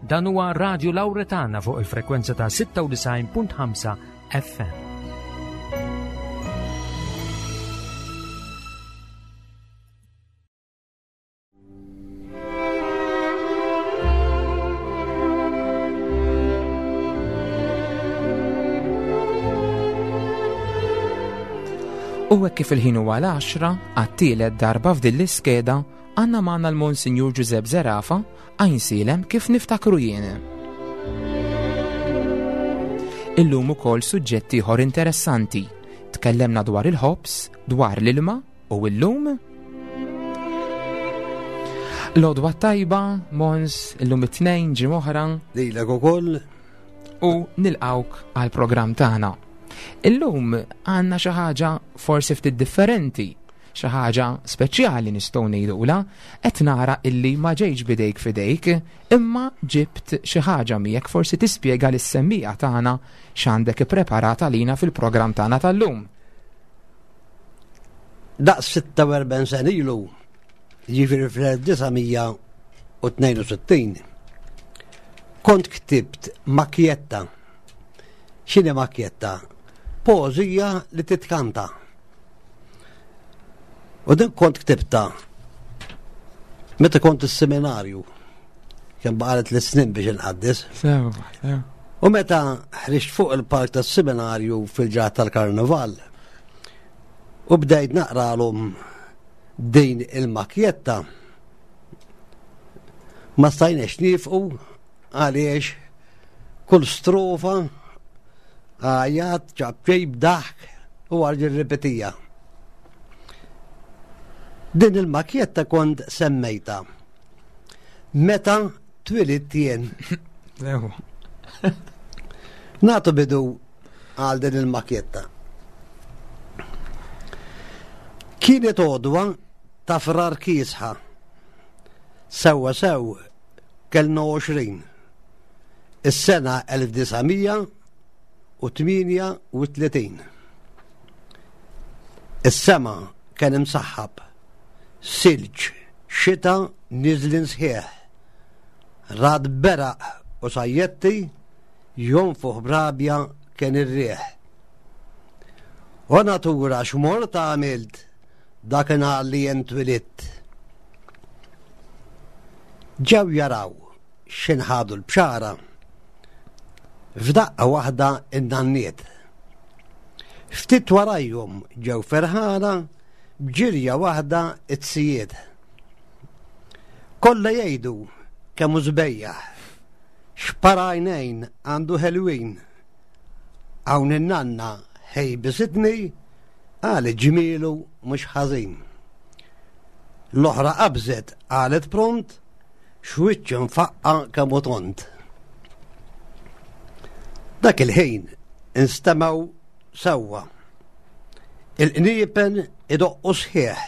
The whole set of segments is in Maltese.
Dan huwa Radio Lauretana fuq il-frekwenza ta' 96.5 FM. U hekk kif il-ħin huwa l-10 għat-tielet darba f'din l-iskeda għandna magħna l-Monsinjur Ġużepp Zerafa Għajnsielem kif niftakru jien. Illum ukoll suġġett ieħor interessanti. Tkellemna dwar il-ħobż, dwar l-ilma u illum L-odwa tajba, Mons, illum it-tnejn ġim oħra. Lilek ukoll. U nilqawk għal programm tagħna. Illum għandna xi ħaġa forsi ftit differenti Xi ħaġa speċjali nistgħu ngħidulha, qed nara illi ma ġejtx b'idejk f'idejk, imma ġibt xi ħaġa miegħek forsi tispjega lis-semmiegħa tagħna x'għandek ippreparat għalina fil-programm tagħna tal-lum. Daqs 46 sena ilu, jiġifieri fl-1962, kont ktibt makjetta. X'inhi makjetta? Poeżija li titkanta. U din kont ktibta meta kont is-seminarju. Kemm baqalet li snin biex inqaddis. U meta ħriġt fuq il-park tas-seminarju fil-ġrat tal-karnival u bdejt naqralhom din il-makjetta ma stajniex nifqu għaliex kull strofa Għajat, ċapċip, daħk u għarġi ripetija. Din il-makjetta kont semmejta. Meta twilidt jien. Natu bidu għal din il-makjetta. Kienet odwa ta' frar kiesħa. Sewwa sew kellna 20. Is-sena 1938. Is-sema kien imsaħħab, silġ, xita niżlin sħiħ. Rad beraq u sajjetti jonfoħ b'rabja kien ir-riħ. O natura x'mort għamilt dakinhar li jien twilidt. Ġew jaraw x'inħadu l-bxara. F'daqqa waħda n-nanniet. Ftit warajhom ġew ferħana b'ġirja waħda t-sijiet. Kollha jgħidu kemm hu sbejjaħ, x'par għajnejn għandu ħelwin. Hawn in-nanna ħejbisitni qalet ġmielu mhux ħażin. L-oħra qabżet qalet pront X'wiċċ imfaqqa' kemm hu tond. Dak il-ħin instemgħu sewwa. Il-qniepen idoqqu sħiħ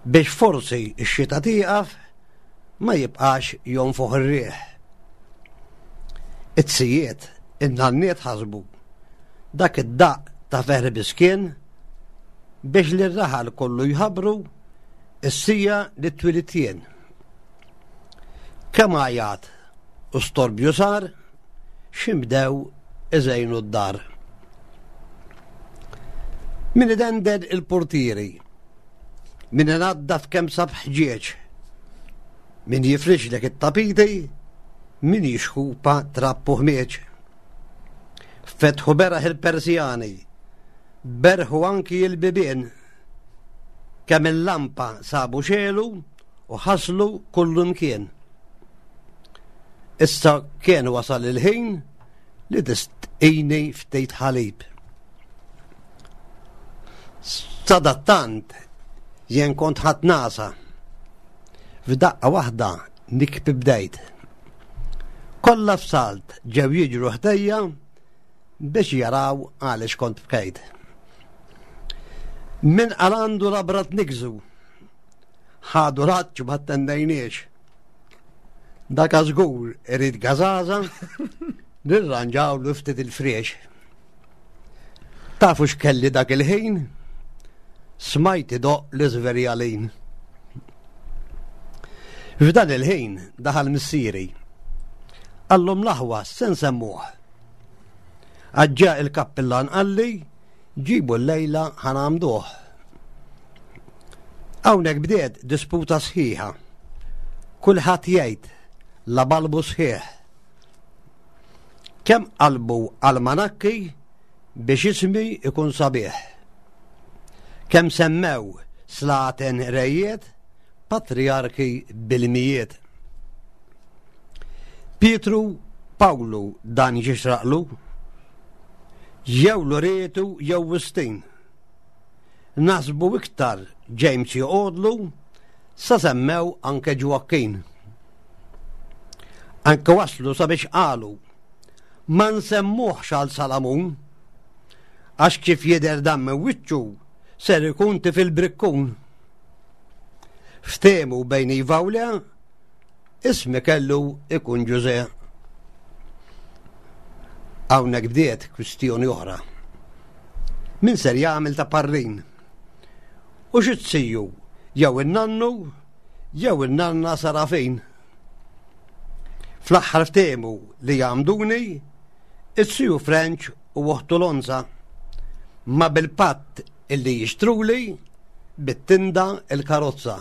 biex forsi x-xita tieqaf ma jibqax jonfoħ ir-riħ. It-sijiet, in-nanniet ħasbu dak id-daqq ta' ferħ biss kien biex lir-raħal kollu jħabbru Is-sija li twilidt jien. Kemm għajat u storbju sar, x'inbdew iżejnu d-dar. Min idendel il-purtieri, min inaddaf kemm sab ħġieġ, min jifrixlek it-tapiti, min jixħupa trapp u ħmieġ. Fetħu beraħ il-persjani, berħu anki il-bibien, Kemm il-lampa sabu xegħlu u ħaslu kullumkien. Issa kien wasal il-ħin li tistqini ftit ħalib. Sadattant jien kont ħadd nasa. F'daqqa waħda nikbi bdejt. Kollha f'salt ġew jiġru ħdejja biex jaraw għaliex kont bkejt. Min qal għandu labra tniggżu, ħadu l-għatx ma ttendejniex. Dak żgur irid gażaża, nirranġawlu ftit il-friex. Tafu x'kelli dak il-ħin? Smajt idoqq l-iżverjalin. F'dan il-ħin daħal missieri. Qallhom l-aħwa se nsemmuh. Għaġġa il-kappillan qalli ġibu l-lejla ħa nagħmduh. Hawnhekk bdiet disputa sħiħa. Kulħadd jgħid la balbu sħiħ. Kemm qalbu almanakki biex ismi ikun sabiħ. Kemm semmew slaten rejiet, patrijarki bil-mijiet. Pietru Pawlu dan jixraqlu, jew Loretu jew Wistin. Nasbu iktar James joqogħdlu sa semmew anke Ġwakkin. Anke waslu sabiex qalu ma nsemmuhx għal Salamun għax kif jidher dan minn wiċċu ser ikun tifil brikkun. Ftehmu bejn iva u le, ismi kellu ikun Ġuże. Hawnhekk bdiet kwistjoni oħra. Min ser jagħmel ta' parrin? U xi tsiju jew in-nannu jew in-nanna Sarafin. Fl-aħħar ftehmu li jgħamduni it-siju French u oħtu Lonza ma bil-patt illi jixtruli bit-tinda il-karozza.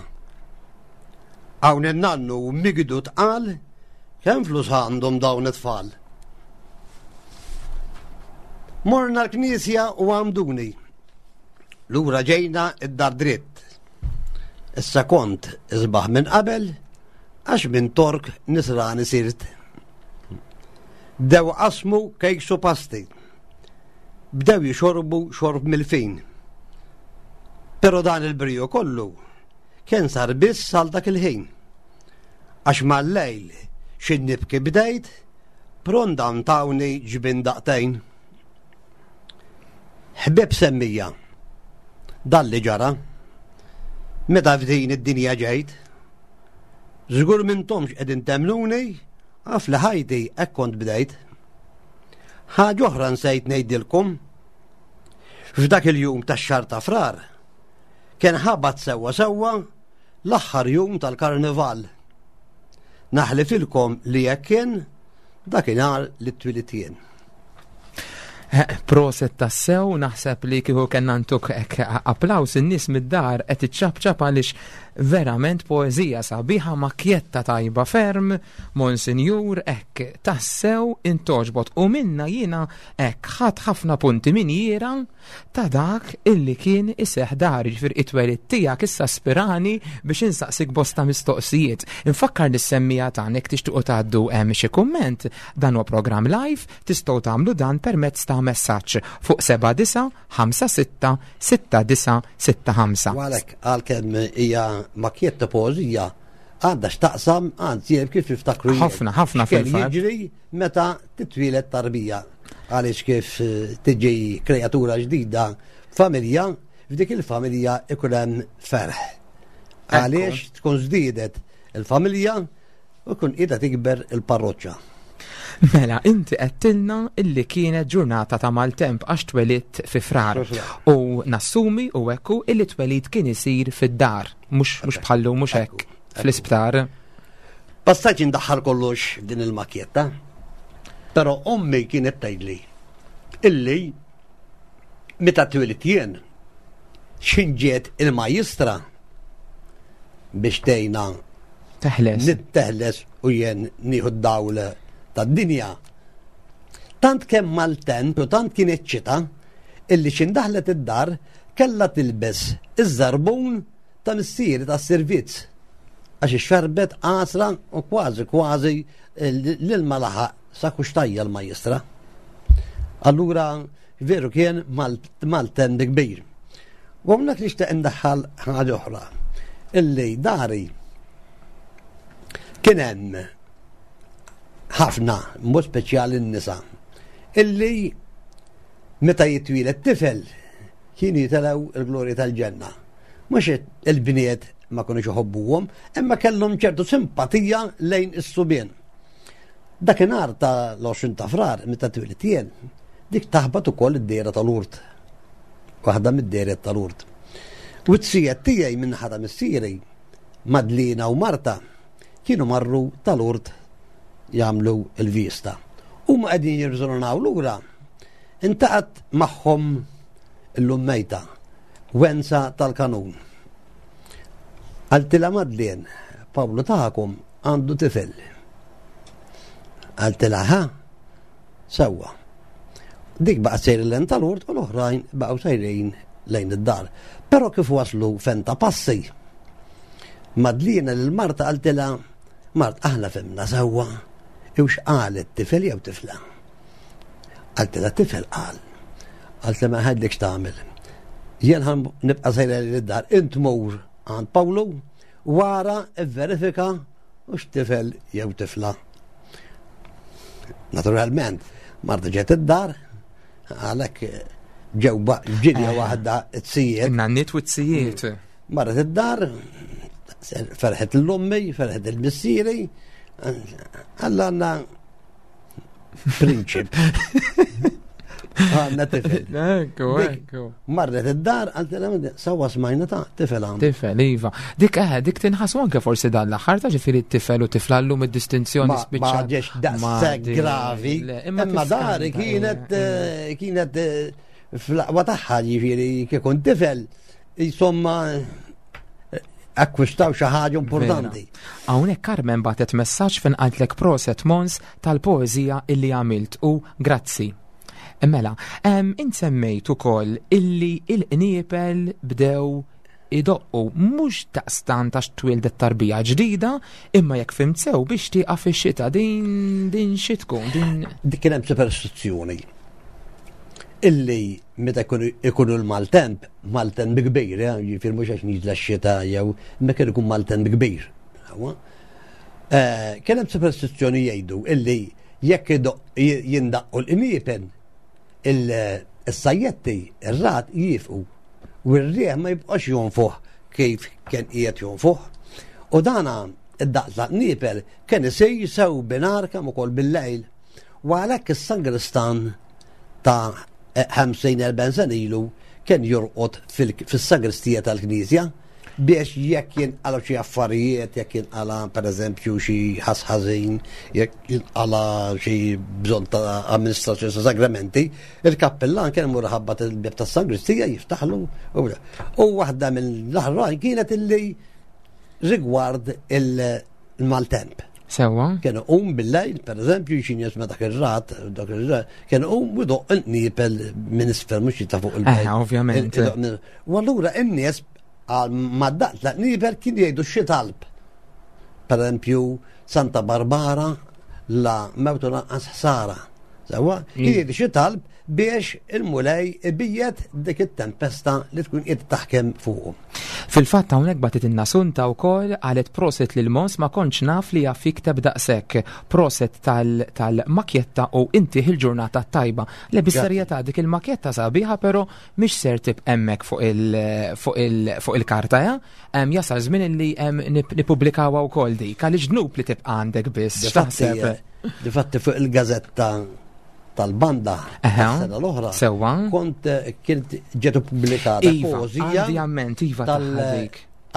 Hawn in-nannu migdu tqal kemm flus għandhom dawn it-tfal. Morna l-knisja u għamduni. Lura ġejna id-dar dritt. Issa kont isbaħ minn qabel għax minn tork nisrani sirt. Bdew qasmu kejks u pasti. Bdew jixorbu xorb mill-fin. Pero dan il-briju kollu kien sar biss għal dak il-ħin. Għax mal-lejl xi nibki bdejt, pronda ntawni ġbin daqtejn. Ħbieb semmija, dan li ġara, meta f'din id-dinja ġejt, żgur m'intomx qegħdin temmnuni għaf li ħajti hekk kont bdejt. Ħaġa oħra nsejt ngħidilkom. F'dak il-jum tax-xahar ta' Frar kien ħabat sewwa sewwa l-aħħar jum tal-karnival. Naħlifilkom li hekk kien dakinhar li twilidt jien. Eh, proset tassew, naħseb li kieku kellna ntuk hekk applaws in-nies mid-dar qed iċċapċap għaliex verament poeżija sabiħa makjetta tajba ferm, Monsinjur hekk tassew intoġbot u minna jiena hekk ħadd ħafna punti min jiera ta' dak illi kien iseħ dar, ġifier it-twelid tiegħek issa spirani biex insaqsik bosta mistoqsijiet. Infakkar lis-semmija tagħna jekk tixtiequ tgħaddu hemm xi kumment, dan huwa programm live Tistgħu tagħmlu dan permezz ta' messaġġ fuq 7956 6965. U għalhekk għalkemm hija makjetta poeżija għandha x'taqsam anzi hemm kif niftakru jien. Ħafna, ħafna fil-fatt. Jiġri meta titwieled tarbija għaliex kif eh, tiġi kreatura ġdida familja, f'dik il-familja ikun hemm ferħ. Għaliex tkun żdiedet il-familja U tkun qiegħda tikber il-parroċċa. Mela, inti għedtilna illi kienet ġurnata ta' maltemp għax twelidt fi Frar. U nassumi u ekku illi twelid kien isir fid-dar, mhux bħallu mhux hekk fl-isptar. Passaġġ indaħħal kollox f'din il-makjetta, però ommi kienet tgħidli illi meta twelidt jien x'ħin ġiet il-majjistra biex tgħinna Teħles. Nitteħles u jien nieħu d-dawl tad-dinja. Tant kemm maltemp u tant kien xita illi x'in daħlet id-dar kellha tilbes iż-żarbun ta' missieri tas-servizz għax ixxarbet għasra u kważi kważi l-ilma laħaq sa kuxtajja l-majjistra. Allura veru kien maltemp kbir. U hawnhekk nixtieq indaħħal ħaġa oħra illi dari kien hemm ħafna, mod speċjali n-nisa, illi meta jitwieled tifel kienu jitilgħu il-glorja tal-ġenna. Mhux il-bniet ma kinux iħobbuhom, imma kellhom ċertu simpatija lejn is-subien. Dakinhar ta' l-20 ta' Frar meta twieled jien, dik taħbat ukoll id-dejra tal-Urt. Waħda mid-dejriet tal-Urt. U t-sijet tiegħi minn naħa ta' missieri, Madlina u Marta, kienu marru tal-Urt. jagħmlu l-vista. Huma qegħdin jirriżonaw lura, intaqat magħhom illum mejta, Wenza tal-Kanun. Qaltilha Madeleine, Pawlu tagħkom għandu tifel. Qaltilha ha? Sewwa. Dik baqgħet sejra lejn tal-urt u l-oħrajn baqgħu sejrin lejn id-dar. Però kif waslu fenta passi, Madlina lil Marta qaltilha, Mart aħna fimna sewwa, iwx qalet tifel jew tifla. Qaltilha tifel qal. Qaltilha ma ħadlek x'tagħmel. Jien ħan nibqa' sejra lejn id-dar, int mur għand Pawlu wara verifika u x'tifel jew tifla. Naturalment, Marta ġiet id-dar, għalhekk ġew ġirja eh. waħda t-sijiet. Nannit u t-sijiet. Mm. Marret id-dar, ferħet l-ummi, ferħet il-missieri, għalla għanna prinċip. Għanna tifel. Ekku, ekku. Marret id-dar, għaltela, sawa smajna ta' tifel għandu. Tifel, iva. Dik eh, dik tinħasu anke forsi dan l-aħħar ta' ġifieri tifel u tifla llum id-distinzjoni spiċċa. Ma ġiex daqshekk gravi. Imma dari kienet eh, eh, kienet eh, fl-aqwa tagħha ġifieri kikun tifel insomma akkwistaw xi ħaġa importanti. Hawnhekk Carmen batet messaġġ fejn qaltlek proset Mons tal-poeżija illi għamilt u grazzi. Mela, int semmejt ukoll illi il-qniepel bdew idoqqu mhux daqstant għax twildet tarbija ġdida, imma jekk fhimt sew biex tieqaf ix-xita din din xi tkun din. Dik kien hemm superstizzjoni illi meta ikunu l-maltemp, maltemp kbir, eh, jiġifieri mhux għax niżla x-xita jew imma kien ikun maltemp kbir. Eh, kien hemm superstizzjoni jgħidu illi jekk jindaqqu l-qniepen il-sajjetti, ir-rat jifqu u r-rieħ ma jibqax jonfoħ kif kien qiegħed jonfoħ. U dana id-daqs ta' qniepel kien isir sew binar kemm ukoll bil-lejl. U għalhekk is-sangristan ta' 50-40 sena ilu kien jorqod fis-sagristija tal-knisja biex jekk jinqala xi affarijiet, jekk jinqala pereżempju xi ħass ħażin, jekk jinqala xi bżonn ta' amministrazzjoni ta' sagramenti, il-kappellan kien imur ħabbat il-bieb tas-sagristija jiftaħlu. U waħda mill-aħrajn kienet illi rigward il-maltemp. Sewa. Kien um bil-lejl, per eżempju, xin jisma dak ir-rat, dak ir-rat, kien um u doq il-nipel minn isfel mhux ta' fuq il-bejt. Eh, ovvjament. U allura n-nies għal ma daqq ta' nipel kien jgħidu xi talb. Per eżempju, Santa Barbara la mewtu lanqas ħsara. Sewa, kien jgħidu xi talb biex il-Mulej ibiegħed dik it-tempesta li tkun qiegħda taħkem fuqu. Fil-fatt hawnhekk bagħtitilna Sunta wkoll qalet proset lil Mons ma kontx naf li jaf jikteb daqshekk. Proset tal-makjetta u intih il-ġurnata t-tajba. Le bis-serjetà dik il-makjetta sabiħa però mhix ser tibqa' hemmhekk fuq il-karta ja. Jasal żmien li nippubblikawha wkoll dik għaliex dnub li tibqa' għandek biss. X'taħseb? Difatti fuq il-gażetta tal-banda sena l-oħra. Sewwa. Kont eh, kient ġiet ippubblikata iva, poeżija. Għandi iva tal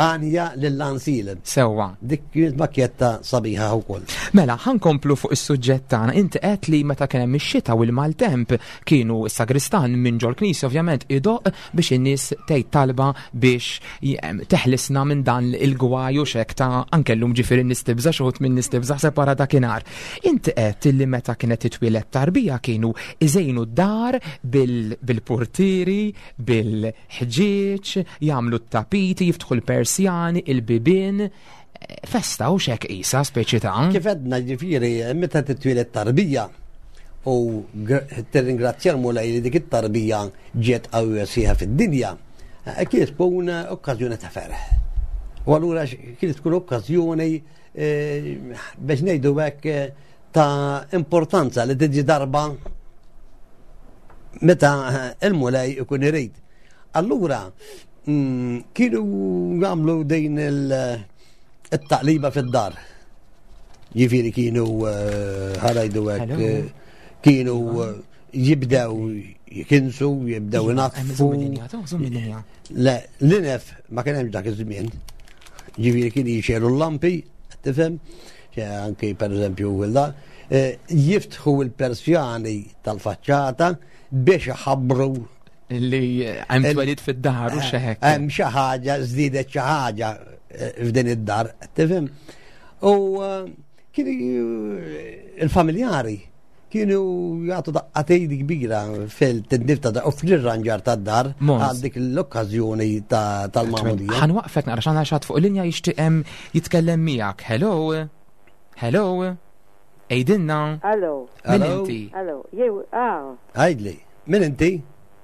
Anja lill-Ansil. Sewwa. Dik kienet makjetta sabiħa wkoll. Mela, ħankomplu fuq is-suġġett tagħna. Inti qed li meta kien hemm ix-xita u l-maltemp kienu s-sagristan minn ġol-knisja ovvjament idoq biex in-nies tgħid talba biex teħlisna minn dan il-gwaj u xek ta' anke llum ġifieri n-nies tibża' xi wħud min-nies tibża' ħseb wara dakinhar. Inti għedt illi meta kienet titwieled tarbija kienu iżejnu d-dar bil-purtieri, bil-ħġieġ, jagħmlu t-tapiti, jiftħu l-persjani, il-bibien. Festa u xek qisha speċi ta'. Kif għedna ġifieri meta titwieled tarbija u tirringrazzja l-Mulej li dik it-tarbija ġiet qawwija sħiħa fid-dinja, eh, kienet tkun okkażjoni ta' ferħ. U allura kienet tkun okkażjoni Eh, biex ngħidu hekk eh, ta' importanza li tiġi darba meta eh, il-mulej ikun irid. Allura, mm, kienu jagħmlu din il-taqliba fid-dar. Jifieri kienu ħarajdu hekk, kienu jibdew jikinsu, jibdew iva, inatfu. Le, l-inef ma kien hemm dak iż-żmien. Ġifieri kien jixelu l-lampi, tifhem? anki per eżempju eh, jiftħu il-persjani tal-faċċata biex iħabbru li hemm twelid fid-dar u xi hekk. Hemm xi ħaġa żdiedet xi ħaġa eh, f'din id-dar, tifhem? U eh, kienu il-familjari kienu jagħtu daqqatejn kbira fil-tindif ta' u fl-irranġar ta' dar għal dik l-okkażjoni tal-magħmudija. Ħa nwaqqfek naqra x'għandna xi ħadd fuq linja jixtieq jitkellem miegħek. Hello? Hello? Għidilna. Hello. Min inti? Hello. Jew, ah. Għidli, min inti?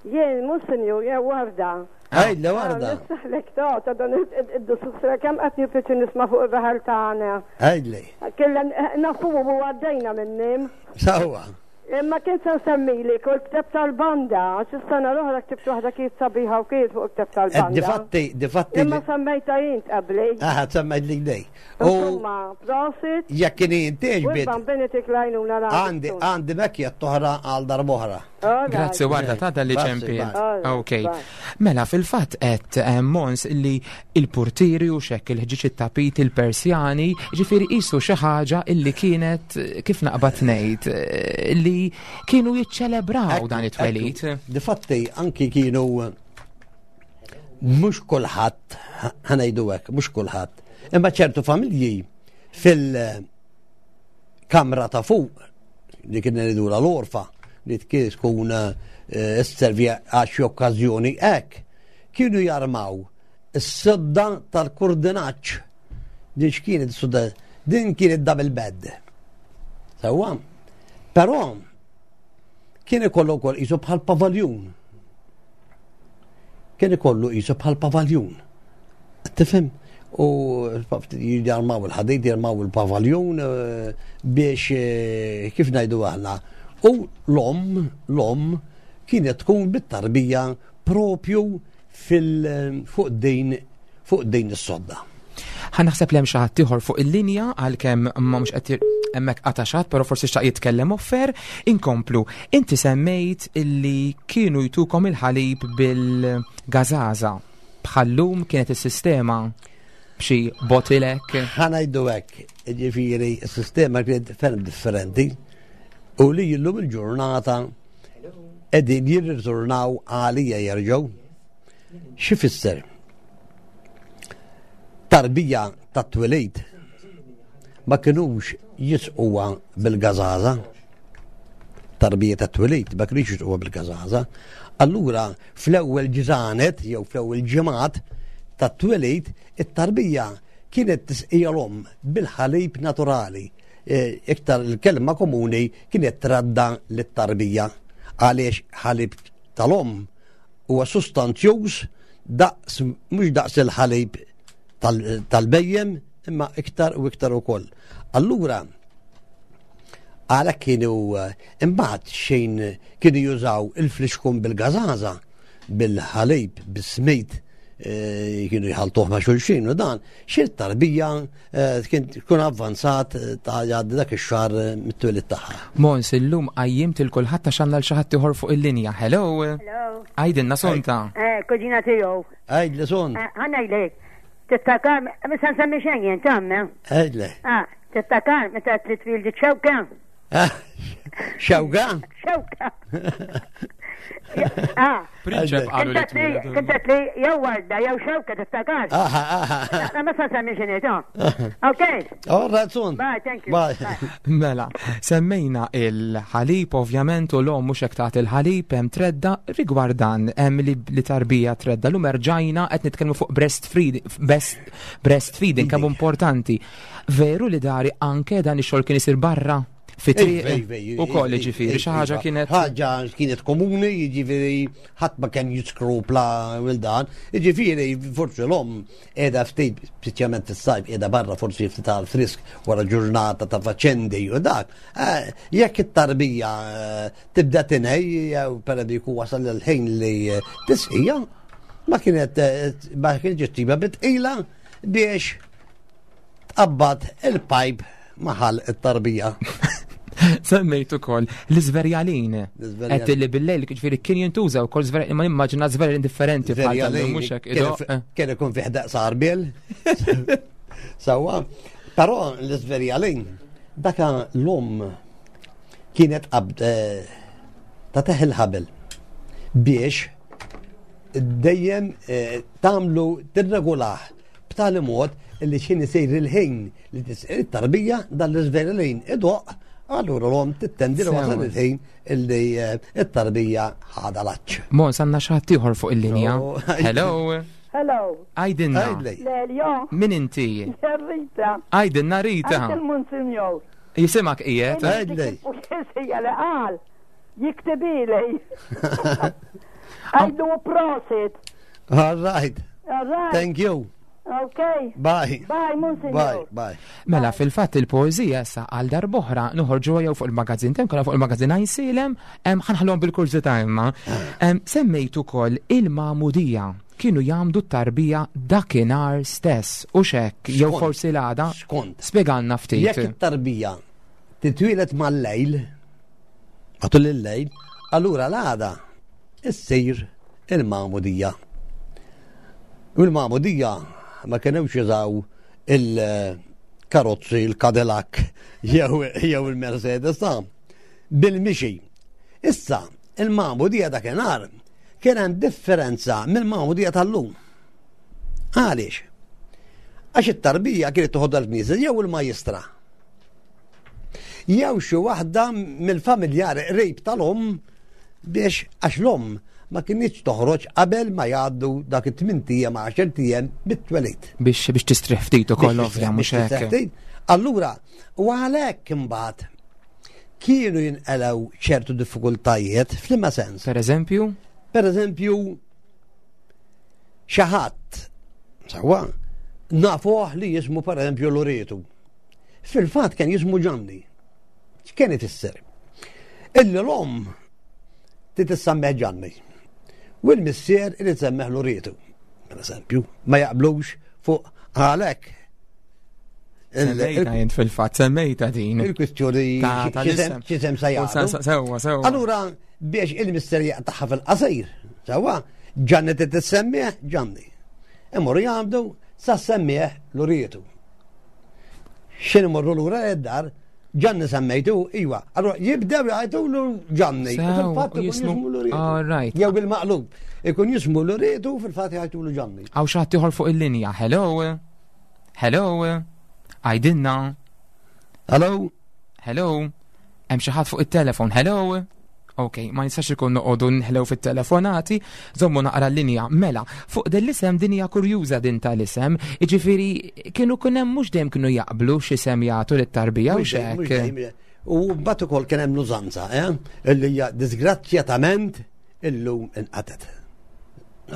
Jien mhux sinjur, jew Warda. Għidli Warda. Nistaħlek ta' ta' dan id-dussusra kemm qed nipjaċi nisma' fuq ir-raħal tagħna. Għidli. Kella nafu u għaddejna minnim. Sewwa. Imma kien se nsemmili kull kteb tal-banda, għax is-sena l-oħra ktibt waħda kienet sabiħa u kienet fuq il-kteb tal-banda. Difatti, difatti. Imma semmejta jint qabli. Aha, semmejt li dej. Insomma, prosit. Jekk kien inti ġbid. Bambini tik lajnuna Għandi, għandi mekja toħra għal darboħra. Grazzi Warda ta' dalli ċempil. Ok. Mela fil-fatt qed eh, Mons li il-purtieri u xekk il-ħġiġ it-tapit il-Persjani, ġifieri qisu xi ħaġa illi kienet eh, kif naqbad ngħid eh, li kienu jiċċelebraw dan it-twelid. Difatti anki kienu mhux kulħadd ħanejdu hekk, mhux kulħadd. Imma ċertu familji fil- kamra ta' fuq li kien ngħidulha l-orfa li kien tkun eh, sservi għal xi okkażjoni hekk, kienu jarmaw is-sodda tal-kurdinaġġ. Din x'kienet is-sodda? Din kienet double bed. Sewwa. Però kien ikollu wkoll qisu bħal pavaljun. Kien ikollu qisu bħal pavaljun. Tifhem? U jarmaw il-ħadid, jarmaw il-pavaljun eh, biex eh, kif ngħidu aħna. U l-om, l-om kienet tkun bit-tarbija propju fil fuq din fuq din is-sodda. Ħa naħseb li hemm xi ħadd ieħor fuq il-linja għalkemm ma mhux qed hemmhekk qata' xi però forsi xtaq jitkellem offer. Inkomplu. Inti semmejt illi kienu jtukom il-ħalib bil-gażaża. Bħallum kienet is-sistema b'xi botilek. Ħa ngħidu hekk, jiġifieri s-sistema kienet ferm differenti u li illum il-ġurnata qegħdin jirritornaw għalija jerġgħu. Xi fisser? Tarbija tat-twelid ma kinux jisquha bil-gażaża. Tarbija tat-twelid ma kinux jisquha bil-gażaża. Allura fl-ewwel ġranet jew fl-ewwel ġimgħat tat-twelid it-tarbija kienet tisqija l-omm bil-ħalib naturali. E, iktar il-kelma komuni kienet tradda lit-tarbija għaliex ħalib tal-omm huwa sustanzjuż daqs mhux daqs il-ħalib tal-bejjem imma iktar u iktar ukoll. Allura għalhekk kienu eh, imbagħad xejn kienu jużaw il-flixkun bil-gażaża, bil-ħalib, bis-smid, eh, kienu jħaltuh ma' xulxin u dan, xi tarbija Eh, kien tkun avvanzat eh, ta' jgħaddi dak ix-xahar eh, mit-twelid tagħha. Mons, illum qajjimt il kulħadd għax għandna l xi ħadd ieħor fuq il-linja. Hello. Hello. Għidilna Sonta. Eh, kuġina tiegħu. Għidli Son. Ħanajlek. Tiftakar, misa nsemmi xejn jien tamme. Għidli. Ah, tiftakar meta trid twildi ċewka. Xewka? Xewka. Ah. Prinċep qalu li Kont li jew warda jew xewka tiftakar. Aha, aha. Ma sa semmi x'inhi ta. Ok. All right, soon. Bye, thank you. Bye. Mela, semmejna il-ħalib ovvjament u l-om mhux hekk tagħti il-ħalib hemm tredda rigward dan hemm li tarbija tredda lum erġajna qed nitkellmu fuq breastfeeding breastfeeding kemm importanti. Veru li dari anke dan ix-xogħol kien isir barra fit-triq ukoll jiġifieri xi ħaġa kienet. Ħaġa kienet komuni, jiġifieri ħadd ma kien jiskrupla il dan, jiġifieri forsi l-omm qiegħda ftit, speċjalment fis-sajf qiegħda barra forsi ftit għal frisk wara ġurnata ta' faċendi u dak. Eh, jekk it-tarbija eh, tibda tinej jew pereżempju jkun wasal il-ħin li eh, tisqija, ma kienet ma kienet ġistiba bitqila biex Tqabbad il-pajp ma' ħalq it-tarbija. Semmejt ukoll l-iżverjalin. Qed li bil-lejl ġifieri kien jintuża wkoll żverjalin, ma nimmaġina żverjalin differenti bħal mhux hekk. Kien ikun fih daqs arbiel. Sewwa. Però l-iżverjalin, daka l-om kienet qabd eh, ta' teħ il-ħabel biex dejjem eh, tagħmlu tirregulah b'tali mod li x'ħin isir il-ħin li tisqir it-tarbija dan l-iżverjalin idoq allura l-om tittendi li wasal il-ħin illi eh, it-tarbija ħada laċ. Mons għandna xi ħadd ieħor fuq il-linja. Hello. Hello. Għajdinna. Leljo. Min inti? Rita. Għajdinna Rita. Il-Monsignor. Jisimak qiegħed. Għajdli. U xisija li qal. Jiktibili. Għajdu prosit. All right. All right. Thank you. Okay. Bye. Bye, Monsignor. Bye, bye. Mela fil-fatt il-poeżija issa għal darb'oħra noħorġu jew fuq il-magazzin tem kollha fuq il-magazzin għajsilem, ħanħallhom bil-kurżità imma. Semmejt ukoll il-magħmudija kienu jagħmdu t-tarbija dakinhar stess u xek jew forsi l-għada. Skont. Spjegalna ftit. Jekk it-tarbija titwieled mal-lejl, matul il-lejl, allura l-għada issir il-magħmudija. U l-magħmudija ma kinux jużaw il-karozzi, il-Cadillac jew il-Mercedes ta' bil-mixi. Issa, il-magħmudija dakinhar kien hemm differenza mill-magħmudija tal-lum. Għaliex? Għax it-tarbija kienet toħodha l-knisja jew il-majistra. Jew xi waħda mill-familjari qrib tal-omm biex għax l-omm ma kinitx toħroġ qabel ma jgħaddu dak it-tmint ijiem għaxert ijiem bit-twelid. Biex biex tistrieħ ftit ukoll ovvja mhux hekk. Allura, u għalhekk imbagħad kienu jinqelgħu ċertu diffikultajiet f'liema sens. Per eżempju? Per eżempju, xi ħadd sewwa nafuh li jismu per eżempju Loretu. Fil-fatt kien jismu Ġanni. X'kien ifisser? Illi l-omm trid issemmeh Ġanni. U l-missier irid semmeh Loretu. Per eżempju, ma jaqblux fuq għalhekk. Semmejta jint fil-fatt, semmejta din. Il-kwistjoni x'isem sa jagħtu. Sewwa, sewwa. Allura biex il-missier jaqtaħħa fil-qasir, sewwa, Ġanni trid tissemmih Ġanni. Imorru jgħamdu sa semmih Loretu. X'in imorru lura id-dar, Ġanni semmejtu, iwa. Allora jibdew jgħidulu Ġanni. U Fil-fatt ikun jismu- jismu Loretu. All right. Jew bil-maqlub. Ikun jismu Loretu fil-fatt jgħidulu Ġanni. Għaw xi ħadd ieħor fuq il-linja. Hello. Hello. Għajdinna. Hello? Hello. Hemm xi ħadd fuq it-telefon. Hello. Ok, ma nistax ikun noqogħdu nħlew fit-telefonati, żommu naqra l-linja. Mela, fuq din l-isem din hija kurjuża din tal-isem, jiġifieri kienu kien hemm mhux dejjem kienu jaqblu x'isem jagħtu lit-tarbija u Mhux dejjem, mhux x'hekk. dejjem. U mbagħad ukoll kien hemm l-użanza, eh? Illi hija disgrazzjatament illum inqatet.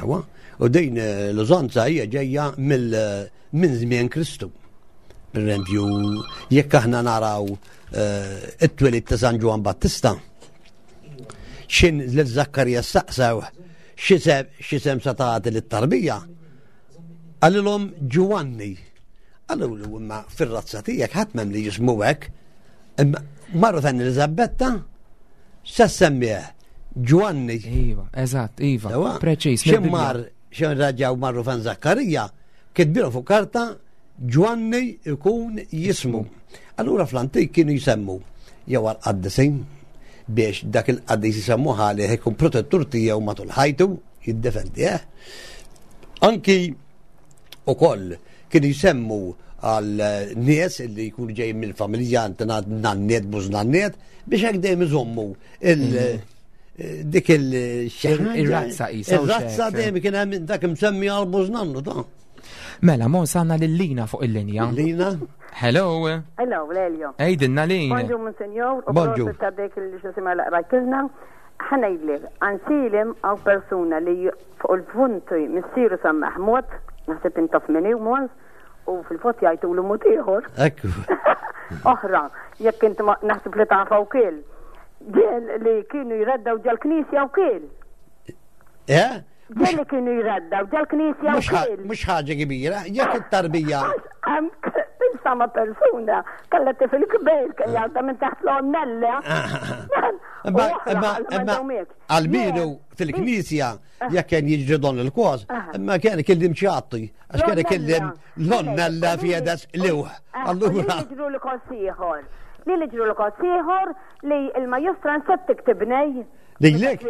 Awa, u din eh, l-użanza hija ġejja mill eh, minn żmien Kristu. Per eżempju, jekk aħna naraw eh, it-twelid ta' San Ġwann Battista, xin lil Zakkarija saqsew x'isem sa tagħti lit-tarbija, qalilhom Ġwanni. Qalulu imma fir-razza tiegħek ħadd m'hemm li jismu hekk. Imma marru fejn Eliżabetta se semmih Ġwanni. Iva, eżatt, iva. Sewa? Preċiż. Xi mill-Bibbja. mar xi raġaw marru fejn Zakkarija, kitbilu fuq karta Ġwanni ikun jismu. Allura fl-antik kienu jsemmu jew għal qaddisin biex dak il-qaddis jisemmu ħalih ikun protettur tiegħu matul ħajtu jiddefendih. Anki ukoll kienu jsemmu għal nies li jkunu ġejjin mill-familja antenat nanniet bużnanniet biex hekk dejjem iżommu il dik il Ir-razza qisha u Ir-razza x'hekk. dejjem kien hemm dak imsemmi għal bużnannu ta' Mela, mo sanna lil Lina fuq il-linja. Lina. Hello. Hello, Lelio. Ejdinna Lin. Bonġu, Monsignor, u Bonġu. prosit ta' dik li xisima laqrajtilna. Ħanajdlek, għansilem għaw persuna li fuq il-punti missiru San Mahmud, naħseb intof minni u mons, u fil-fot jgħajtu l mod ieħor. Ekku. Oħra, jekk inti ma naħseb li tafa u kiel. Ġel li kienu jreddaw ġal knisja u kiel. Eh? Ġel li kienu jreddaw ġal knisja u Mhux ħa- kiel. Mhux ħaġa kbira, jekk it-tarbija. sama persuna kellha tifel kbir kien jgħadda minn taħt l-onnella. Imma għal-bidu fil-knisja jekk kien jiġri don il-kos, imma kien kellim ċatti, għax kien kellim l-onnella fjedes liwħ. Allura. Li ġru l-kos ieħor. Li li ġru l-kos ieħor li il-majustra nsett tiktibnej. Lilek?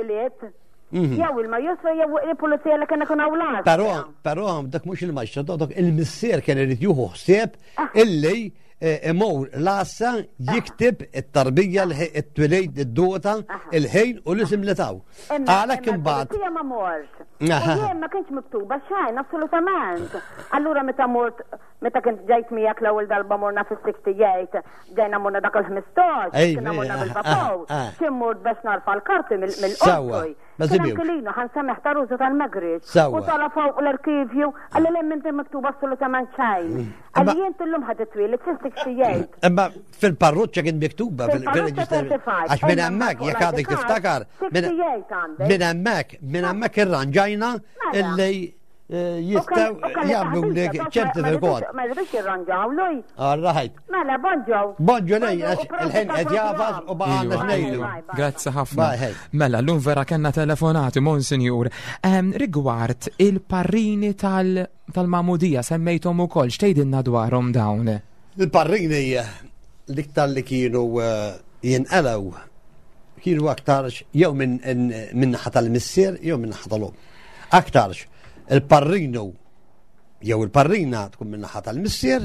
Jew il-majustra jew il-pulizija li kien ikun hawn Però, però dak mhux il-maġistra, dak il-missier kien irid juħu ħsieb illi imur l-għassa jikteb it-tarbija, it-twilid, id-dota, il-ħin u l-isim li taw. Għalhekk imbagħad. Pulizija ma mort. Jien ma kienx miktuba xejn, assolutament. Allura meta mort, meta kint ġejt miegħek l-ewwel darba morna fis-68, ġejna morna dak il-15, kienna morna bil-papaw, kien mort biex narfa l-karti mill-qorti. Ma Kien hemm żibjux. Kilino ħa nsemmiħ ta' Rużu tal-Magriġ. Sewwa. U tala fuq l-arkivju, qalli le m'inti miktub assolutament xejn. Qalli Imma- jien illum ħadd it-twieled fis-68. Imma fil-parroċċa kien miktuba Fil-parroċċa fil-reġistru. 35. Għax minn Imma hemmhekk fuq jekk l-ID għadek card, tiftakar, minn 68 għandek. minn hemmhekk, minn hemmhekk irranġajna Mela. illi jistaw jagħmlu lek ċertifikat. Ma rridux jirranġawlu. All right. Mela, bonġo. Bonġo lej, għax il-ħin qed jafas u ma għandna xnejlu. Grazzi ħafna. Mela, l-lum vera kellna telefonati, Monsignor. Rigward il-parrini tal-Mamudija semmejthom ukoll, x'tgħidilna dwarhom dawn? Il-parrini l-iktar li kienu jinqalgħu kienu aktarx jew minn naħa tal-missier jew minn naħa tal-omm. Aktarx il-parrinu jew il-parrina tkun minn naħa tal-missier,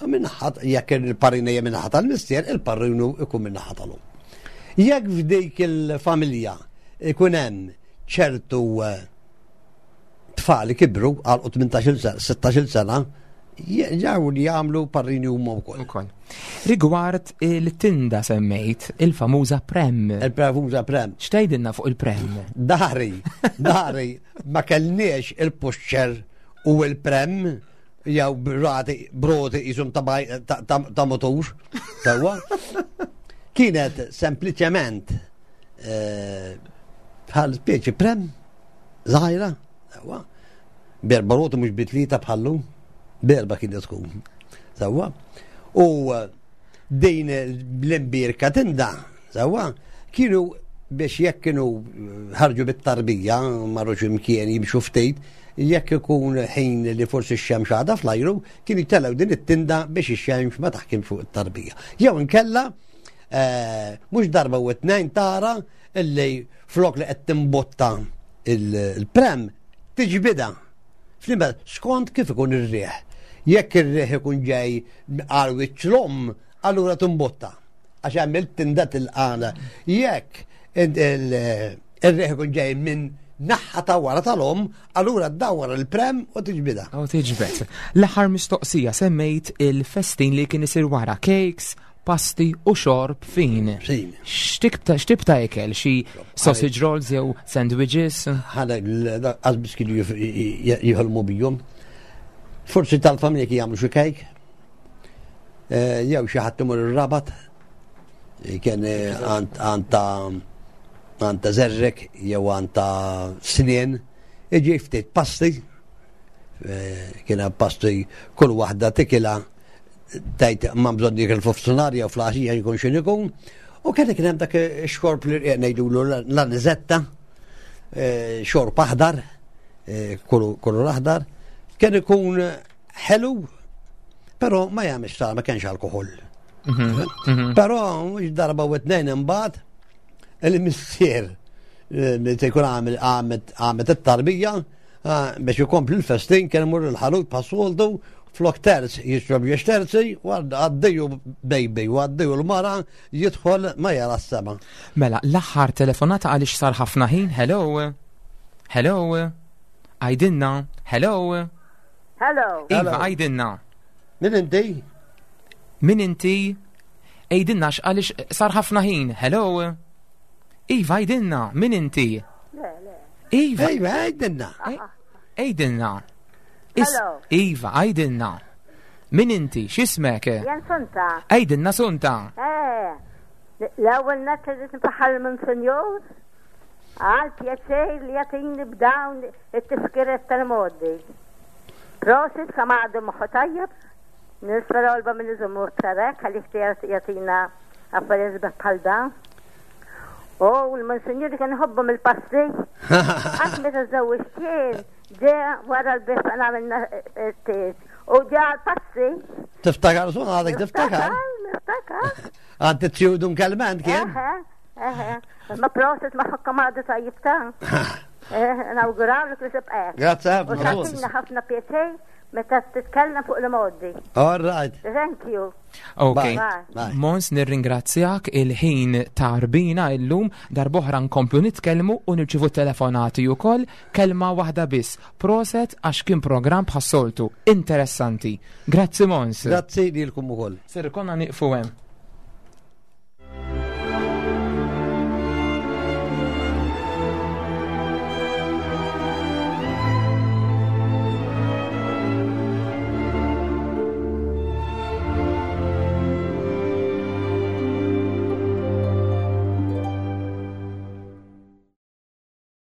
u minn naħa jekk il-parrina hija minn naħa tal-missier, il-parrinu ikun minn naħa tal-omm. Jekk f'dik il-familja ikun hemm ċertu tfal kibru għal 18 sena, 16 sena, ġew li jagħmlu parrini huma wkoll. Ukoll. Rigward il-tinda semmejt, il-famuża prem. Il-famuża prem. X'tgħidilna fuq il-prem? Dari, dari, ma kellniex il-puxċer u il-prem jew brati, broti jisum ta' motur. Sewwa. Kienet sempliċement bħal speċi prem żgħira, sewwa. Berba roti mhux bitlieta bħallu, berba kienet tkun. Sewwa. U din l-imbirka tinda, sewwa, kienu biex jekk kienu ħarġu bit-tarbija, marru x'imkien jimxu ftit, jekk ikun ħin li forsi x-xemx għadha fl-ajru, kienu jtellgħu din it-tinda biex ix-xemx ma taħkimx fuq it-tarbija. Jew inkella, mhux darba u tnejn tara illi flok li qed timbotta il-prem tiġbida. Flimma skont kif ikun ir-riħ. Jekk ir-riħ ikun ġej għal wiċċ l-omm, allura timbotta. Għax hemm il-tinda tilqana. Jekk ir-riħ ikun ġej minn naħa ta' wara tal-omm, allura ddawwar il-prem u tiġbida. U tiġbed. L-aħħar mistoqsija semmejt il-festin li kien isir wara cakes, pasti u xorb fin. Fin. X'tip ta' ikel? Xi sausage rolls jew sandwiches? Ħana qasbis kienu jħolmu bijom. Forsi tal-familja kien jagħmlu xi kejk. Jew xi ħadd imur ir-rabat. Kien għand ta' zerrek jew għand ta' snien. Iġi ftit pasti. Kien hemm pasti kull waħda tikilha tajt ma bżonn jikel f'nofsinhar jew fl-għaxija jkun x'in ikun. U kien kien hemm dak ix-xorb li rqiq ngħidulu l-aniżetta, xorb aħdar, kulur aħdar, kien ikun ħelu, però ma jagħmilx sar ma kienx alkoħol. Però mhux darba u tnejn imbagħad il-missier meta jkun għamel it-tarbija biex ikompli l-festin kien imur il-ħanut bħas-soltu flok terz jixrob jiex terzi u għaddiju baby u għaddiju l-mara jidħol ma jara s-sema. Mela, l-aħħar telefonata għaliex sar ħafna ħin, hello, hello, għajdinna, hello. Hello. Iva, għajdinna. Min inti? Min inti? Għajdinna għaliex sar ħafna ħin, hello. Iva, għajdinna, min inti? Le, le. Iva. Iva, għajdinna. Għajdinna. Hello. Iva, għajdinna. Min inti? X'ismek? Jen Sunta. Għajdinna Sunta. L-ewwel nett irrid nfaħħar il-Monsinjur għal pjaċir li jagħtini b'dawn it-tifkiriet tal-modi. Prosit kemm għadu moħħu tajjeb. Nispera għalba minn iżommu aktar hekk għaliex jagħtina affarijiet sbieħ bħal dan. U l-monsinjuri kien iħobbhom il-passi. Għax meta żewġt jien ġe wara l-bif għamilna t-tieġ. U ġe għal-passi. Tiftakar sun għadek tiftakar? Niftakar. Għad t-tjudun kelment kien? Eħe, ma proset ma ħakka ma għadu tajjib ta' Nawgurawlek li tibqa' hekk. Grazzi U ħafna. tagħtina ħafna pjaċir meta titkellem fuq l-modi. All right. Thank you. Ok. Bye. Bye. Mons nirringrazzjak il-ħin tarbina illum darboħra nkomplu nitkellmu u nirċivu telefonati ukoll kelma waħda biss. Proset għax kien programm bħas-soltu interessanti. Grazzi Mons. Grazzi lilkom ukoll. Ser konna nieqfu hemm.